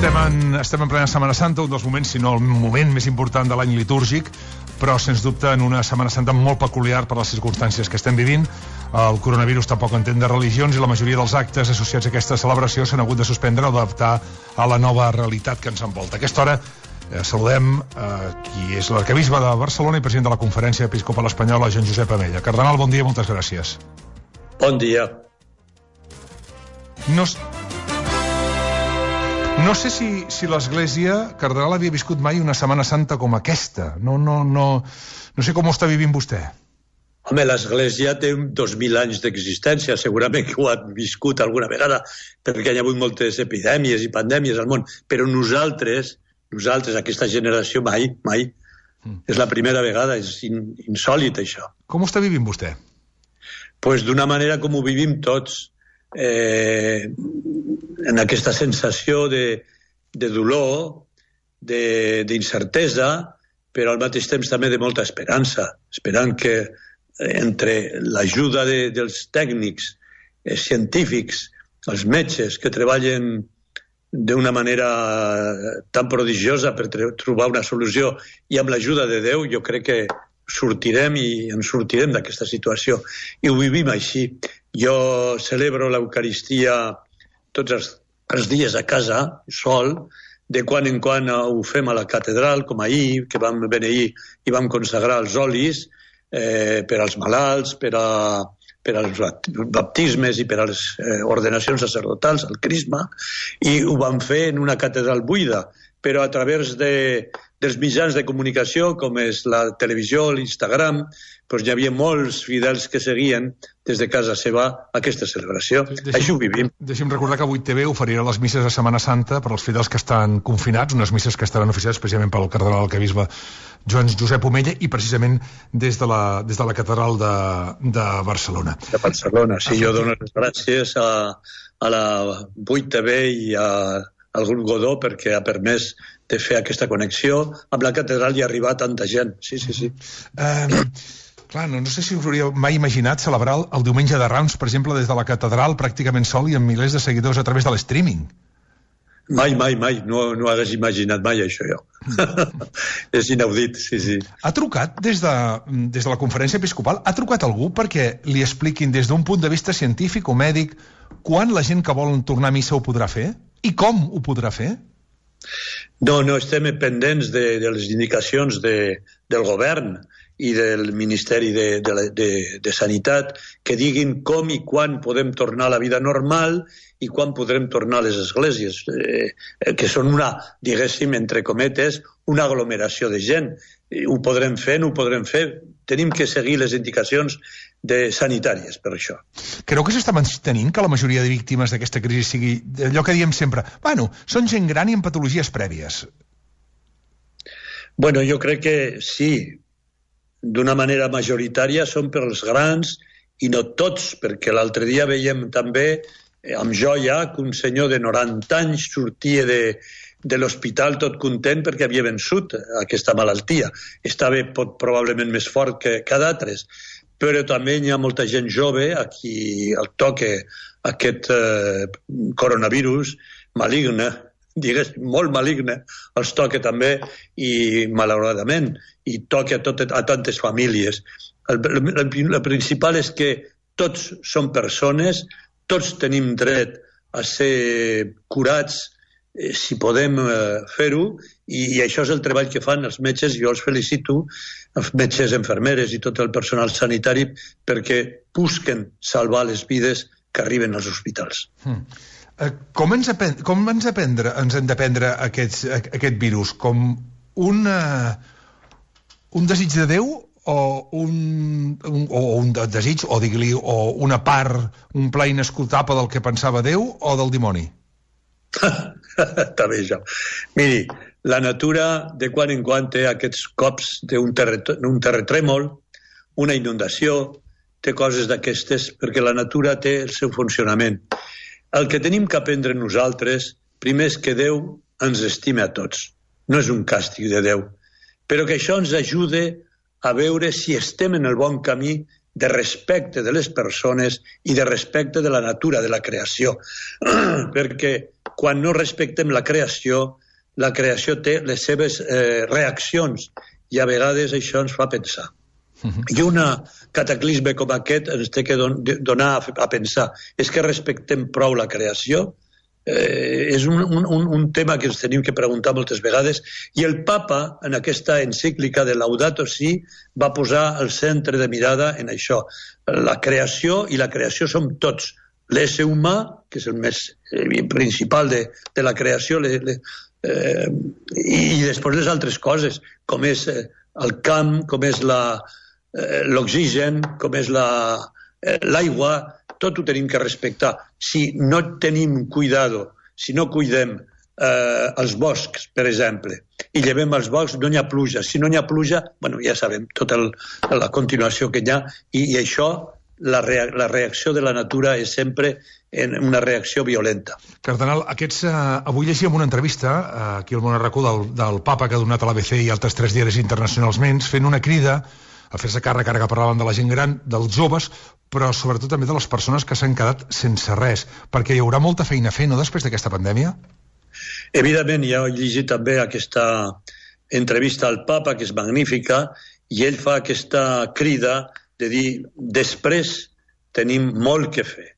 Estem en plena Setmana Santa, un dels moments, si no el moment més important de l'any litúrgic, però sens dubte en una Setmana Santa molt peculiar per les circumstàncies que estem vivint. El coronavirus tampoc entén de religions i la majoria dels actes associats a aquesta celebració s'han hagut de suspendre o adaptar a la nova realitat que ens envolta. A aquesta hora saludem qui és l'arquebisbe de Barcelona i president de la Conferència Episcopal Espanyola, Joan Josep Amella. Cardenal, bon dia, moltes gràcies. Bon dia. No sé si l'Església, Cardenal, havia viscut mai una Setmana Santa com aquesta. No sé com ho està vivint vostè. Home, l'Església té 2.000 anys d'existència, segurament que ho ha viscut alguna vegada, perquè hi ha hagut moltes epidèmies i pandèmies al món, però nosaltres, aquesta generació, mai. És la primera vegada, és insòlit, això. Com ho està vivint vostè? Pues d'una manera com ho vivim tots, en aquesta sensació de dolor, d'incertesa, però al mateix temps també de molta esperança, esperant que entre l'ajuda dels tècnics científics, els metges que treballen d'una manera tan prodigiosa per trobar una solució, i amb l'ajuda de Déu jo crec que sortirem i ens sortirem d'aquesta situació, i ho vivim així. Jo celebro l'Eucaristia tots els dies a casa, sol, de quan en quan ho fem a la catedral, com ahir, que vam beneir i vam consagrar els olis per als malalts, per als baptismes i per a les ordenacions sacerdotals, al crisma, i ho vam fer en una catedral buida, però a través dels mitjans de comunicació, com és la televisió, l'Instagram, doncs hi havia molts fidels que seguien des de casa seva aquesta celebració. Això ho vivim. Deixa'm recordar que avui TV oferirà les misses de Setmana Santa per als fidels que estan confinats, unes misses que estaran oficiades precisament pel cardenal arquebisbe Joan Josep Omella i precisament des de la catedral de Barcelona. De Barcelona, sí. Jo dono les gràcies a la 8TV i al grup Godó perquè ha permès de fer aquesta connexió amb la catedral i arribar a tanta gent. Sí. Clar, no sé si us hauríeu mai imaginat celebrar el diumenge de Rams, per exemple, des de la catedral, pràcticament sol i amb milers de seguidors a través de l'streaming. Mai. No hagués imaginat mai això, jo. És inaudit, sí. Ha trucat des de la Conferència Episcopal, ha trucat algú perquè li expliquin des d'un punt de vista científic o mèdic quan la gent que vol tornar a missa ho podrà fer? I com ho podrà fer? No, estem pendents de les indicacions del govern i del Ministeri de Sanitat que diguin com i quan podem tornar a la vida normal i quan podrem tornar a les esglésies, que són diguéssim, entre cometes, una aglomeració de gent. Ho podrem fer, no ho podrem fer. Tenim que seguir les indicacions sanitàries per això. Creu que s'està mantenint que la majoria de víctimes d'aquesta crisi sigui allò que diem sempre, són gent gran i amb patologies prèvies? Bueno, jo crec que sí. D'una manera majoritària són per als grans i no tots, perquè l'altre dia veiem també amb joia que un senyor de 90 anys sortia de l'hospital tot content perquè havia vençut aquesta malaltia. Estava probablement més fort que d'altres, però també hi ha molta gent jove a qui el toca aquest coronavirus maligne, molt maligne, els toca també i malauradament, i toca a tantes famílies. El principal és que tots som persones, tots tenim dret a ser curats si podem fer-ho, i això és el treball que fan els metges. Jo els felicito, els metges, infermeres i tot el personal sanitari, perquè busquen salvar les vides que arriben als hospitals. Com ens hem de prendre aquest virus? Com un desig de Déu o un desig, o digui-li, o una part, un pla inescoltable del que pensava Déu o del dimoni? Està bé, això. Miri, la natura de quan en quan té aquests cops d'un terratrèmol, una inundació, té coses d'aquestes, perquè la natura té el seu funcionament. El que tenim que aprendre nosaltres, primer és que Déu ens estima a tots. No és un càstig de Déu. Però que això ens ajude a veure si estem en el bon camí de respecte de les persones i de respecte de la natura, de la creació. Perquè quan no respectem la creació té les seves reaccions i a vegades això ens fa pensar. I un cataclisme com aquest ens té que donar a pensar. És que respectem prou la creació? És un tema que ens tenim que preguntar moltes vegades, i el papa en aquesta encíclica de Laudato Si va posar el centre de mirada en això, la creació, i la creació som tots, l'ésser humà, que és el més principal de la creació, i després les altres coses, com és el camp, com és l'oxigen, com és l'aigua, tot ho tenim que respectar. Si no tenim cuidado, si no cuidem els boscs, per exemple, i llevem els boscs, no hi ha pluja. Si no hi ha pluja, bueno, ja sabem tota la continuació que hi ha, i això, la reacció de la natura és sempre una reacció violenta. Cardenal, avui llegíem una entrevista aquí al Món RQ del papa que ha donat a l'ABC i altres 3 diaris internacionals menys, fent una crida a fer-se càrrec, ara que parlàvem de la gent gran, dels joves, però sobretot també de les persones que s'han quedat sense res, perquè hi haurà molta feina a fer, no?, després d'aquesta pandèmia? Evidentment, ja he llegit també aquesta entrevista al papa, que és magnífica, i ell fa aquesta crida de dir, després tenim molt que fer.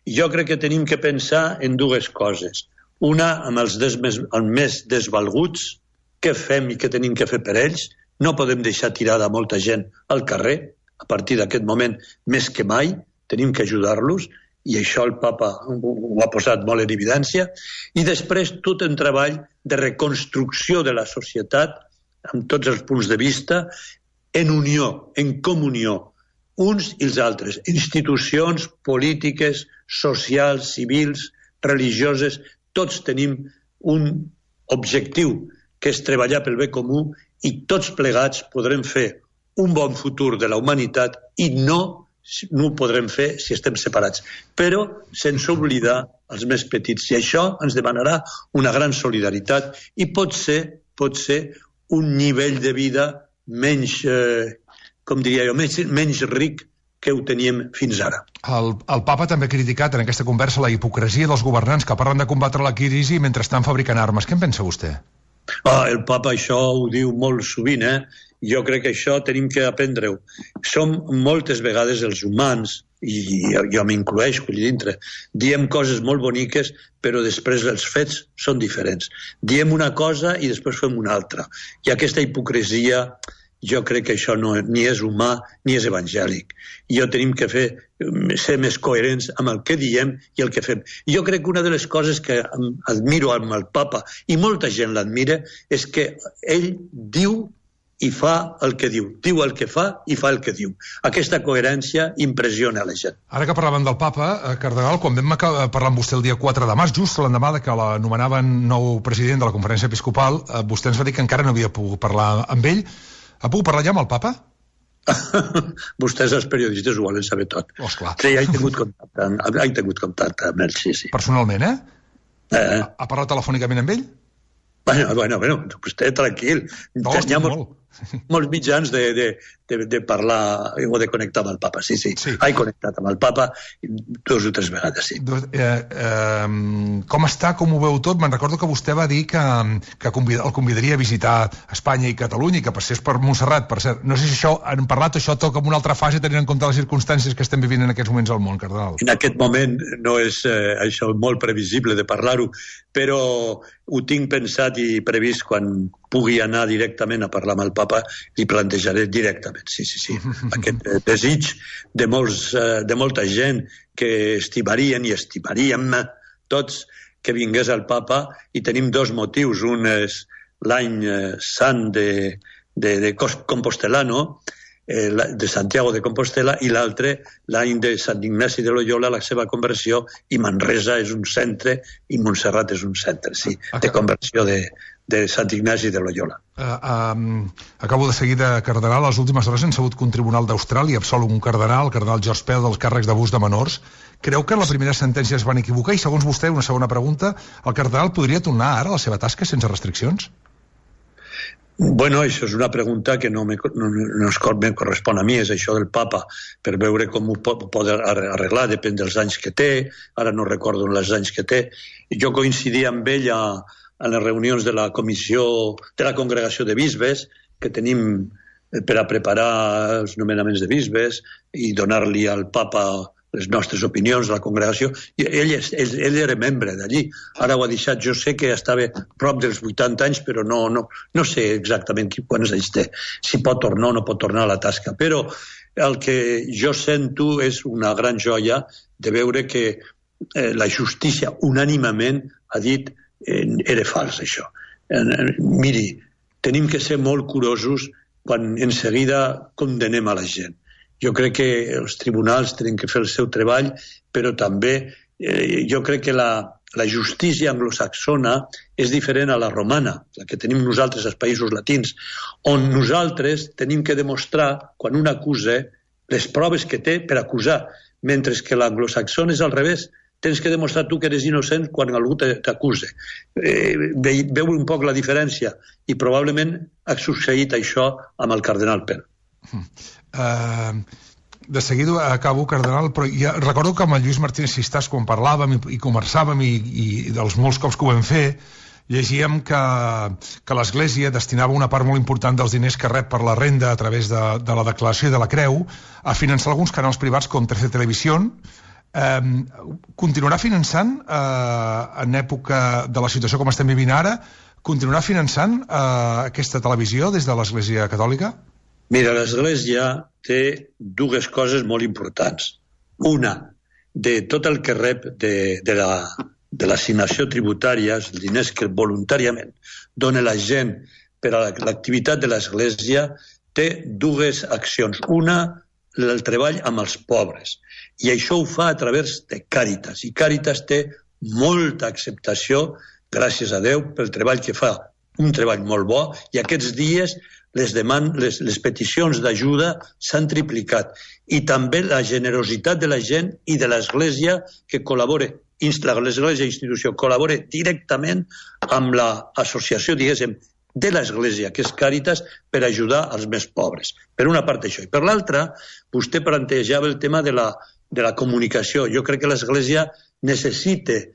Jo crec que tenim que pensar en 2 coses. Una, amb els més desvalguts, què fem i què tenim que fer per ells. No podem deixar tirada molta gent al carrer. A partir d'aquest moment, més que mai, tenim que ajudar-los, i això el papa ho ha posat molt en evidència. I després tot un treball de reconstrucció de la societat, amb tots els punts de vista, en unió, en comunió, uns i els altres, institucions polítiques, socials, civils, religioses, tots tenim un objectiu, que és treballar pel bé comú, i tots plegats podrem fer un bon futur de la humanitat, i no ho podrem fer si estem separats, però sense oblidar els més petits, i això ens demanarà una gran solidaritat, i pot ser un nivell de vida menys, com diria jo, menys ric que ho teníem fins ara. El papa també ha criticat en aquesta conversa la hipocresia dels governants que parlen de combatre la crisi mentre estan fabricant armes. Què en pensa vostè? El papa això ho diu molt sovint, Jo crec que això tenim que aprendre-ho. Som moltes vegades els humans, i jo m'incloeixo allà dintre, diem coses molt boniques, però després els fets són diferents. Diem una cosa i després fem una altra. I aquesta hipocresia, jo crec que això ni és humà ni és evangèlic. Jo tenim que ser més coherents amb el que diem i el que fem. Jo crec que una de les coses que admiro amb el papa, i molta gent l'admira, és que ell diu i fa el que diu el que fa i fa el que diu. Aquesta coherència impressiona a la gent. Ara que parlaven del papa, cardenal, quan vam parlar amb vostè el dia 4 de març, just l'endemà que l'anomenaven nou president de la conferència episcopal, vostè ens va dir que encara no havia pogut parlar amb ell. Ha pogut parlar ja amb el papa? Vostès, els periodistes, ho volen saber tot. Oh, esclar. Sí, he tingut contacte amb ell, sí. Personalment, Ha parlat telefònicament amb ell? Bueno, vostè tranquil. Tenia molts mitjans de parlar o de connectar amb el papa, sí. He connectat amb el papa 2 o 3 vegades, sí. Com està, com ho veu tot? Me'n recordo que vostè va dir que el convidaria a visitar Espanya i Catalunya i que passés per Montserrat, per cert. No sé si això, han parlat, això toca en una altra fase tenint en compte les circumstàncies que estem vivint en aquests moments al món, cardenal. En aquest moment no és això molt previsible de parlar-ho, però ho tinc pensat i previst quan pugui anar directament a parlar amb el papa, li plantejaré directament, sí. Aquest desig de molta gent que estimarien i estimaríem tots que vingués el papa, i tenim 2 motius. Un és l'any sant de Compostelano, de Santiago de Compostela, i l'altre l'any de Sant Ignasi de Loyola, la seva conversió, i Manresa és un centre i Montserrat és un centre, sí, de conversió de Sant Ignasi de Loyola. Acabo de seguir de cardenal. A les últimes hores hem sabut que un tribunal d'Austràlia absol un cardenal, el cardenal George Pell, dels càrrecs d'abús de menors. Creu que en la primera sentència es van equivocar? I segons vostè, una segona pregunta, el cardenal podria tornar ara a la seva tasca sense restriccions? Bueno, això és una pregunta que no me correspon a mi, és això del papa, per veure com ho pot arreglar, depèn dels anys que té, ara no recordo els anys que té. Jo coincidia amb ell a les reunions de la comissió, de la congregació de bisbes, que tenim per a preparar els nomenaments de bisbes i donar-li al papa les nostres opinions de la congregació, i ell era membre d'allí. Ara ho ha deixat, jo sé que estava prop dels 80 anys, però no sé exactament quants anys té, si pot tornar o no pot tornar a la tasca. Però el que jo sento és una gran joia de veure que la justícia unànimament ha dit era fals, això. Miri, tenim que ser molt curosos quan en seguida condenem a la gent. Jo crec que els tribunals tenen que fer el seu treball, però també jo crec que la justícia anglosaxona és diferent a la romana, la que tenim nosaltres als països latins, on nosaltres tenim que demostrar, quan un acusa, les proves que té per acusar, mentre que l'anglosaxon és al revés. Tens que demostrar tu que eres innocent quan algú t'acusa. Veu un poc la diferència, i probablement ha succeït això amb el cardenal Pell. De seguida acabo, cardenal, però ja recordo que amb el Lluís Martínez Sistàs, quan parlàvem i conversàvem, i dels molts cops que ho vam fer, llegíem que l'Església destinava una part molt important dels diners que rep per la renda a través de la declaració i de la creu a finançar alguns canals privats com 13 Televisión. Continuarà finançant en època de la situació com estem vivint ara? Continuarà finançant aquesta televisió des de l'Església Catòlica? Mira, l'Església té dues coses molt importants. Una, de tot el que rep de l'assignació tributària, els diners que voluntàriament dona la gent per a l'activitat de l'Església, té dues accions. Una, el treball amb els pobres. I això ho fa a través de Càritas. I Càritas té molta acceptació, gràcies a Déu, pel treball que fa. Un treball molt bo, i aquests dies les peticions d'ajuda s'han triplicat. I també la generositat de la gent i de l'Església que col·labora, l'Església institució col·labora directament amb l'associació, diguéssim, de l'Església, que és Càritas, per ajudar els més pobres. Per una part això. I per l'altra, vostè plantejava el tema de la comunicació. Jo crec que l'Església necessita,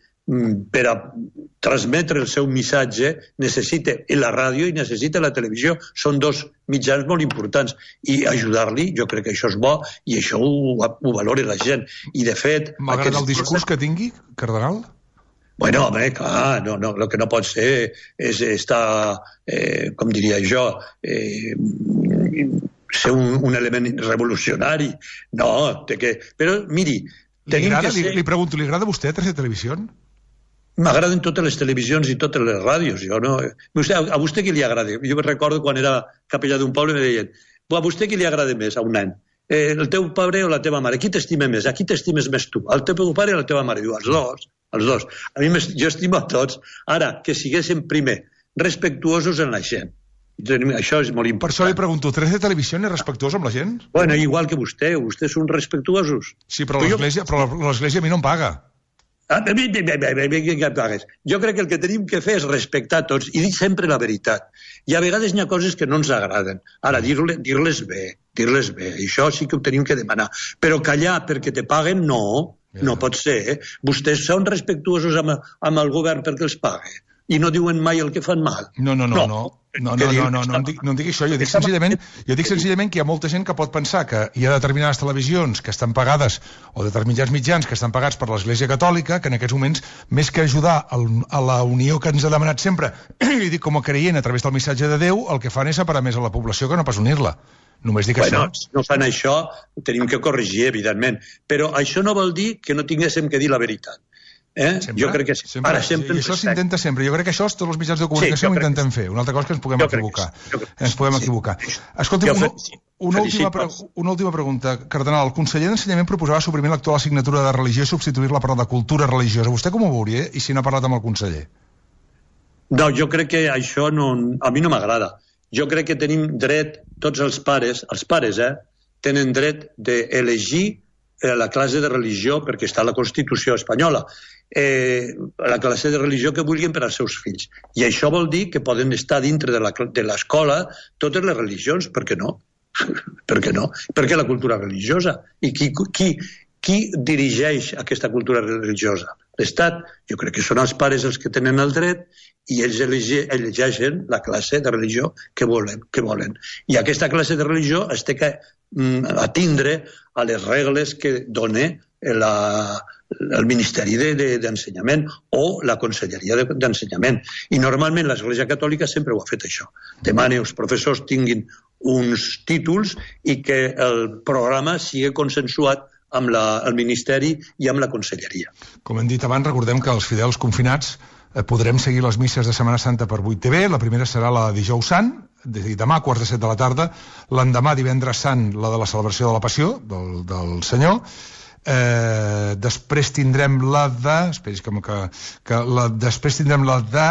per a transmetre el seu missatge, necessita la ràdio i necessita la televisió. Són dos mitjans molt importants. I ajudar-li, jo crec que això és bo, i això ho valora la gent. I de fet... Malgrat el discurs que tingui, cardenal? Bueno, home, clar, el que no pot ser és estar, com diria jo, ser un element revolucionari. No, té que... Però, miri... Li pregunto, li agrada a vostè 13 Televisión? M'agraden totes les televisions i totes les ràdios. A vostè qui li agrada? Jo recordo quan era capellà d'un poble i me deien, a vostè qui li agrada més a un nen? El teu pare o la teva mare? Qui t'estima més? A qui t'estimes més tu? El teu pare o la teva mare? Diu, els dos. A mi jo estimo a tots. Ara, que siguéssim primer respectuosos en la gent. Això és molt important. Per això li pregunto, 13 Televisión és respectuós amb la gent? Bueno, igual que vostès són respectuosos. Sí, però l'Església a mi no em paga. Jo crec que el que tenim que fer és respectar tots i dir sempre la veritat. I a vegades hi ha coses que no ens agraden. Ara, dir-les bé, això sí que ho tenim que demanar. Però callar perquè te paguen, no pot ser. Vostès són respectuosos amb el govern perquè els paga i no diuen mai el que fan mal. No em digui això. Jo dic senzillament que hi ha molta gent que pot pensar que hi ha determinades televisions que estan pagades, o determinats mitjans que estan pagats per l'Església Catòlica, que en aquests moments, més que ajudar a la unió que ens ha demanat sempre, i dic com a creient a través del missatge de Déu, el que fan és separar més a la població que no pas unir-la. Només dic això. Si no fan això, ho tenim que corregir, evidentment. Però això no vol dir que no tinguéssim que dir la veritat. Jo crec que sempre. I això s'intenta sempre. Jo crec que això tots els mitjans de comunicació ho intenten fer. Una altra cosa que ens puguem equivocar. Escolti'm, una última pregunta. Cardenal, el conseller d'Ensenyament proposava suprimir l'actual assignatura de religió i substituir-la per la de cultura religiosa. Vostè com ho veuria, i si n'ha parlat amb el conseller? No, jo crec que això a mi no m'agrada. Jo crec que tenim dret, tots els pares, tenen dret d'elegir la classe de religió perquè està a la Constitució espanyola. la classe de religió que vulguin per als seus fills. I això vol dir que poden estar dintre de l'escola totes les religions, per què no? Per què no? Perquè la cultura religiosa. I qui dirigeix aquesta cultura religiosa? L'Estat. Jo crec que són els pares els que tenen el dret i ells elegeixen la classe de religió que volen. I aquesta classe de religió es té que atindre a les regles que dona el Ministeri d'Ensenyament o la Conselleria d'Ensenyament. I normalment l'Església Catòlica sempre ho ha fet això. Demana que els professors tinguin uns títols i que el programa sigui consensuat amb el Ministeri i amb la Conselleria. Com hem dit abans, recordem que els fidels confinats podrem seguir les misses de Setmana Santa per 8TV. La primera serà la de Dijous Sant, demà a 6:45 de la tarda. L'endemà, Divendres Sant, la de la celebració de la Passió del Senyor. Després tindrem la de... Després tindrem la de...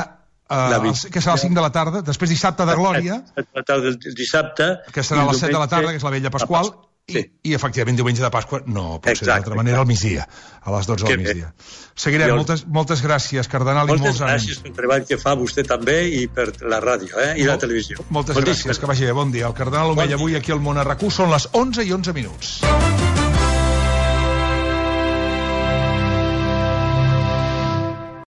que serà a les 5 de la tarda. Després dissabte de Glòria. La tarda del dissabte. Que serà a les 7 de la tarda, que és la Vella Pasqual. Sí. I efectivament diumenge de Pasqua no pot ser d'altra manera, al migdia, a les 12 del migdia. Seguirem. Moltes gràcies, cardenal, i molts anys. Moltes gràcies pel treball que fa vostè també i per la ràdio i la televisió. Moltes gràcies, que vagi bé, bon dia. El cardenal Omella avui aquí al Món a RAC1, són les 11:11.